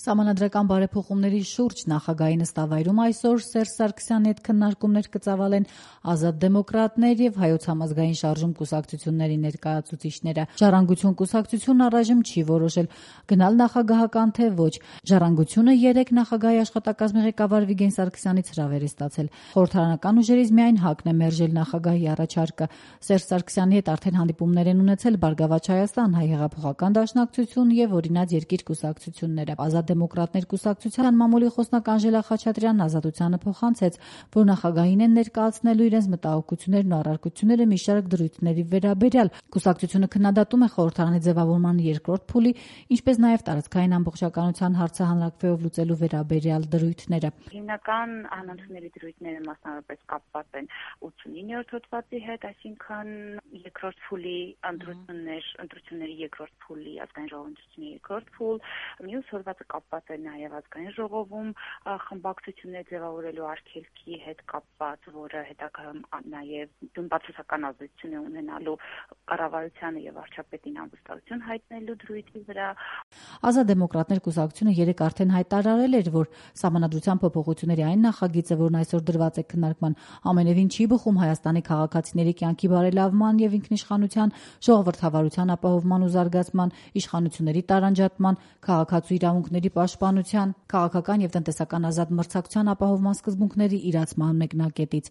Սահմանադրական բարեփոխումների շուրջ նախագահի նստավայրում այսօր Սերժ Սարգսյանի հետ քննարկումներ կծավալեն Ազատ դեմոկրատներ եւ Հայոց համազգային շարժում կուսակցությունների ներկայացուցիչները։ Ժառանգություն կուսակցությունն առայժմ չի որոշել գնալ նախագահական թե ոչ։ Ժառանգությունը 3 նախագահի աշխատակազմի ղեկավար Վիգեն Սարգսյանից հրավեր է ստացել։ Խորհրդարանական ուժերից միայն ՀԱԿ-ն է մերժել նախագահի առաջարկը։ Սերժ Սարգսյանի հետ արդեն հանդիպումներ են ունեցել Բարգավաճ Հայաստան, Հայ հեղափոխական դաշնակցություն եւ Օրինաց երկիր կուսակցությունները։ Ազատ դեմոկրատներ կուսակցության մամուլի խոսնակ Անժելա Խաչատրյանն Ազատությանը փոխանցեց, որ նախագահին են ներկայացնելու իրենց մտահոգություններն ու առարկությունները մի շարք դրույթների վերաբերյալ։ Կուսակցությունը քննադատում է խորհրդարանի ձևավորման երկրորդ փուլի, ինչպես նաեւ տարածքային ամբողջականության հարցը հանրակրվեով լուծելու վերաբերյալ դրույթները։ Հիմնական անընդունելի դրույթները մասնավորապես կապված են 89-րդ հոդվածի հետ, այսինքն երկրորդ փուլի ընտրությունների երկրորդ փուլի ազգային ժողովի երկրորդ փուլ, մյուս հոդվածը կապված է նաև ազգային ժողովում խմբակցություններ ձևավորելու արգելքի հետ կապված, որը հետագայում նաև բացասական ազդեցություն է ունենալու կառավարությանը եւ վարչապետին անվստահություն հայտնելու դրույթի վրա։ Ազատ դեմոկրատներ կուսակցությունը 3 արդեն հայտարարել էր, որ Սահմանադրության փոփոխությունների այն նախագիծը, որն այսօր դրված է քննարկման, ամենևին չի բխում Հայաստանի քաղաքացիների կյանքի բարելավման եւ ինքնիշխանության, ժողովրդավարության ապահովման ու զարգացման, իշխանությունների տարանջատման, քաղաքացու իրավունքների պաշտպանության, քաղաքական եւ տնտեսական ազատ մրցակցության ապահովման սկզբունքների իրացման մեկնակետից։